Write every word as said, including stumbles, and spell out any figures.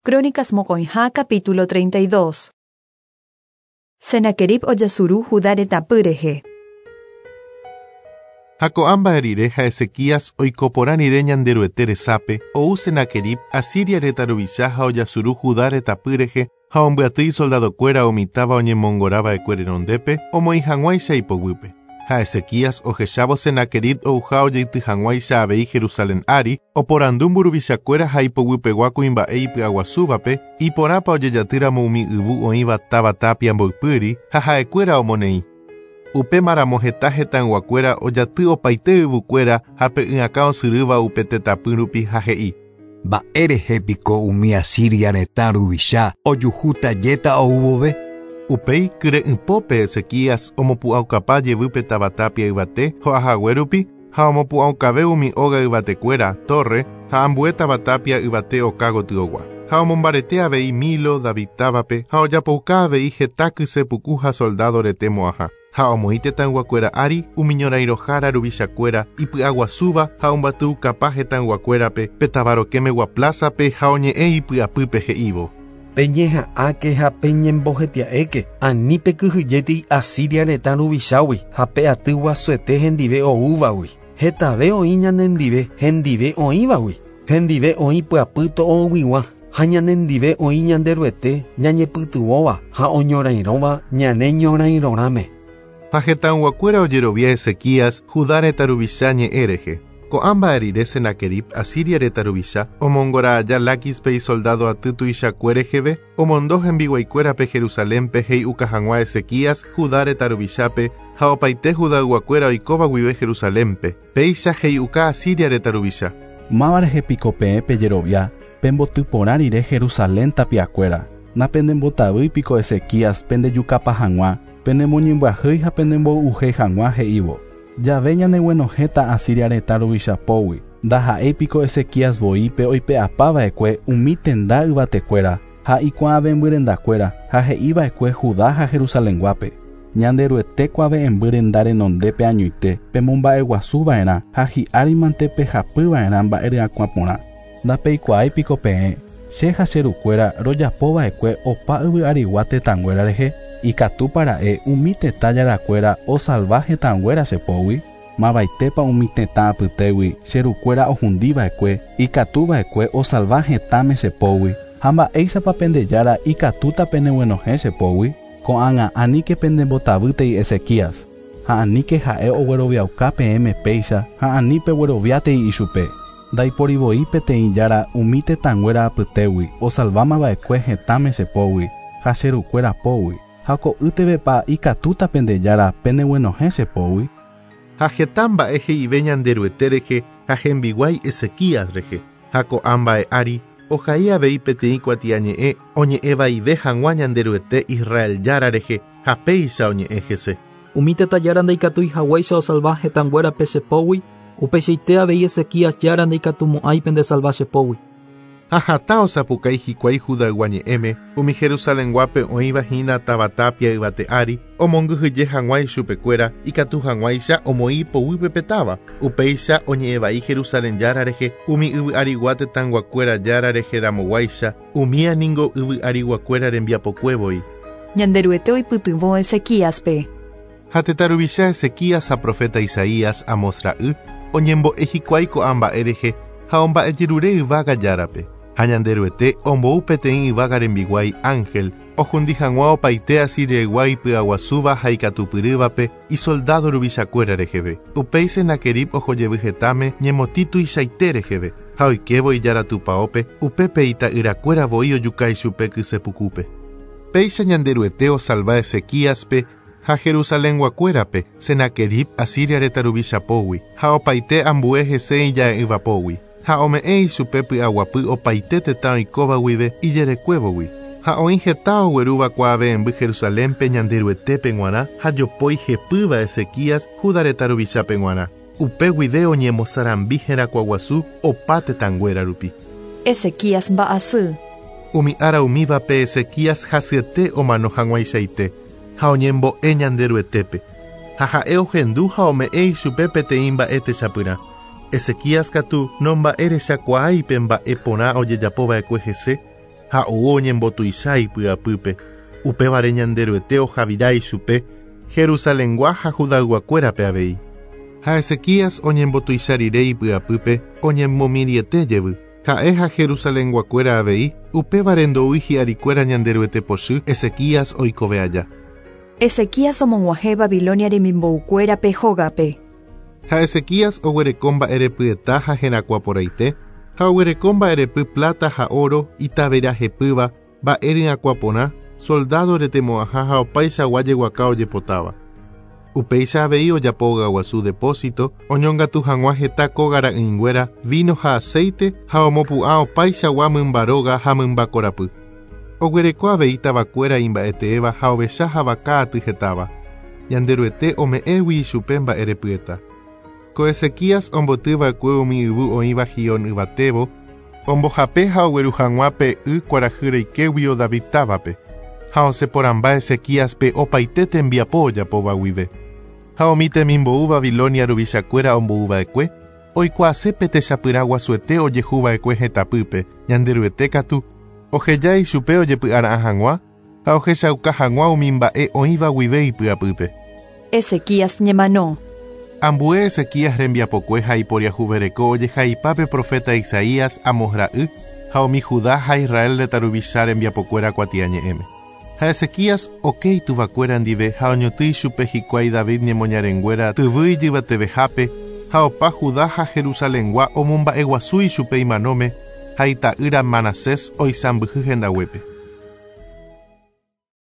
Crónicas mokõiha capítulo treinta y dos. Senaquerib ojasuru Judá retãpy rehe. Ha ko'ã mba'e rire ha Ezequías oikoporã rire Ñanderuete resápe, ou Senaquerib Asiria retã ruvicha ha ojasuru Judá retãpy rehe ha ombyaty isoldadokuéra omitáva oñemongorava'ekue renondépe omoĩ hag̃uáicha ipoguýpe. Ha Ezequías ohechávo Senaquerib ouha ojeity hag̃uáicha avei Jerusalén ári, oporandu mburuvichakuéra ha ipoguypegua kuimba'e ipy'aguasúvape, iporãpa ojejatýramo umi yvu oĩva táva tapia mboypýri ha ha'ekuéra omoneĩ. Upémaramo heta hetãyguakuéra ojaty opaite yvykuéra ha pe y'akã osyrýva upe tetãpy rupi ha he'i. Mba'érehe piko umi Asiria retã ruvicha ojuhútajéta oúvove? Upéi kyre'ỹpópe Ezequías omopu'ãukapa jevýpe táva tapia yvate ho'ahague rupi ha omopu'ãukave umi óga yvatekuéra, torre ha ambue táva tapia yvate oka gotyogua. Ha omombarete avei Milo, David távape ha ojapouka avei heta kysepuku ha soldado rete mo'ãha. Ha omoĩ tetãyguakuéra ári umi ñorairõhára ruvichakuéra ipy'aguasúva ha ombatyukapa hetãyguakuérape pe táva rokẽmegua plázape ha oñe'ẽ ipy'apýpe he'ívo. Peñeha'ãke ha peñembohetia'éke ani pekyhyjéti Asiria retã ruvichágui ha pe aty guasuete hendive oúvagui. Hetave oĩ ñanendive hendive oĩvagui. Hendive oĩ pyapy to'oguigua ha ñanendive oĩ Ñanderuete ñañepytyvõva ha oñorairõva ñane ñorairõrãme. Ha hetãyguakuéra ojerovia Ezequías Judá retã ruvicha ñe'ẽ rehe. Ko'ã mba'e rire Senaquerib Asiria retã ruvicha omongora aja Láquispe isoldado aty tuichakue reheve, omondo hembiguaikuérape Jerusalénpe he'iuka hag̃ua Ezequías Judá retã ruvichápe ha opaite Judayguakuéra oikóva guive Jerusalénpe. Péicha he'iuka Asiria retã ruvicha. Máva rehe piko peẽ pejerovia pembotyporã rire Jerusalén tapiakuéra. Napendembotavýi piko Ezequías pendejukapa hag̃ua, penemoñembyahýi ha penemboy'uhéi hag̃ua he'ívo. Jave ñaneguenohẽta Asiria retã ruvichapógui. Ndaha'éi piko Ezequías voípe oipe'apava'ekue umi tenda yvatekuéra ha ikuave'ẽmbyrendakuéra ha he'iva'ekue Judá ha Jerusalenguápe. Ñanderuete kuave'ẽmby renondépe añoite pemomba'eguasuva'erã ha hi'árimante pehapyva'erã mba'e ryakuã porã. Ndapeikuaái piko peẽ che ha che rukuéra rojapova'ekue opa yvy arigua tetãnguéra rehe. Ikatúpara'e umi tetã jarakuéra osalva hetãnguéra chepógui. Mavaitépa umi tetã apytégui che rukuéra ohundiva'ekue ikatuva'ekue osalva hetãme chepógui ha mba'éichapa pendejára ikatúta peneguenohẽ chepógui. Ko'ág̃a aníke pendembotavýtei Ezequías ha aníke ha'e ogueroviauka peẽme péicha ha ani pegueroviátei ichupe. Ndaiporivoi peteĩ jára umi tetãnguéra apytégui osalvámava'ekue hetãme chepógui ha che rukuéra pógui. Ha ko'ýtevepa ikatúta pendejára peneguenohẽ chepógui. Ha heta mba'e he'ive Ñanderuete rehe ha hembiguái Ezequías rehe. Ha ko'ã mba'e ári ohai avei peteĩ kuatiañe'ẽ oñe'ẽvaive hag̃ua Ñanderuete Israel jára rehe ha péicha oñe'ẽ hese. Umi tetã jára ndaikatúi haguéicha osalva hetãnguérape chepógui, upeichaite avei Ezequías jára ndaikatumo'ãi pendesalva chepógui. Ha hatã osapukái hikuái Judaygua ñe'ẽme umi Jerusalenguápe oĩva hína táva tapia yvate ári omongyhyje hag̃ua ichupekuéra ikatu hag̃uáicha omoĩ ipoguýpe pe táva. Upéicha oñe'ẽvai Jerusalén jára rehe umi yvy arigua tetãyguakuéra jára rehe ramoguáicha umía ningo yvy ariguakuéra rembiapokuévoi. Ñanderuete oipytyvõ Ezequíaspe. Ha tetã ruvicha Ezequías ha profeta Isaías Amos ra'y oñembo'e hikuái ko'ã mba'e rehe ha omba'ejerure yvága járape. Ha Ñanderuete ombou peteĩ yvága rembiguái ángel ohundi hag̃ua opaite Asiriaygua ipy'aguasúva ha ikatupyrývape isoldado ruvichakuéra reheve. Upéi Senaquerib ohojevy hetãme ñemotĩ tuichaite reheve ha oikévo ijára tupãópe upépe ita'yrakuéra voi ojuka ichupe kysepukúpe. Péicha Ñanderuete osalva Ezequíaspe ha Jerusalenguakuérape Senaquerib Asiria retã ruvichapógui ha opaite ambue hese ija'e'ỹvapógui. Ha ome'ẽ ichupe py'aguapy opaite tetã oikóva guive ijerekuévogui. Ha oĩ heta oguerúva kuave'ẽmby Jerusalénpe Ñanderuetépe g̃uarã ha jopói hepýva Ezequías Judá retã ruvichápe g̃uarã. Upe guive oñemosarambi herakuãguasu opa tetãnguéra rupi. Ezequías mba'asy. Umi ára umívape Ezequías hasyete omano hag̃uaichaite ha oñembo'e Ñanderuetépe. Ha ha'e ohendu ha ome'ẽ ichupe peteĩ mba'e techapyrã. Ezequías katu nomba'erechakuaái pe mba'e porã ojejapova'ekue hese Ha ou oñembotuicha ipy'apýpe. Upévare Ñanderuete ohavira ichupe Jerusalengua ha Judayguakuérape avei. Ha Ezequías oñembotuicha rire ipy'apýpe oñemomiriete jevy. Ha'e ha Jerusalenguakuéra avei upévare ndoúi hi'arikuéra Ñanderuete pochy Ezequías oikove aja. Ezequías omog̃uahẽ Babilonia remimboukuérape hógape. Ha Ezequías oguereko mba'erepyeta ha herakuãporãite ha oguereko mba'erepy plata ha oro itavera hepýva mba'eryakuãporã soldado retemo'ãha ha opaichagua jeguaka ojepotáva. Upéicha avei ojapo ogaguasu depósito oñongatu hag̃ua heta kóga ra'ỹinguéra vino ha aceite ha omopu'ã opaichagua mymba róga ha mymba korapy. Oguereko avei tavakuéra imba'eteéva ha ovecha ha vaka aty hetáva. Ñanderuete ome'ẽgui ichupe mba'erepyeta. Ko Ezequías ombotyva'ekue umi yvy oĩva Gion yvatévo, ombohape ha ogueru hag̃ua pe y kuarahy reikéguio David távape. Ha osẽporãmba Ezequíaspe opaite tembiapo ojapóva guive. Ha umi temimbou Babilonia ruvichakuéra ombouva'ekue, oikuaase pe techapyrã guasuete ojehuva'ekue hetãpýpe, Ñanderuete katu, oheja ichupe ojepy'ara'ã hag̃ua ha ohechauka hag̃ua umi mba'e oĩva guive ipy'apýpe. Ezequías ñemano. Ambue Ezequías rembiapokue ha iporiahuvereko ojehaipápe profeta Isaías Amos ra'y ha umi Judá ha Israel retã ruvicha rembiapokuéra kuatiañe'ẽme. Ha Ezequías oke ituvakuéra ndive ha oñotỹ ichupe hikuái David ñemoñarenguéra tyvy ijyvatevehápe ha opa Judá ha Jerusalengua omomba'eguasu ichupe imanóme ha ita'ýra Manasés oisãmbyhy hendaguépe.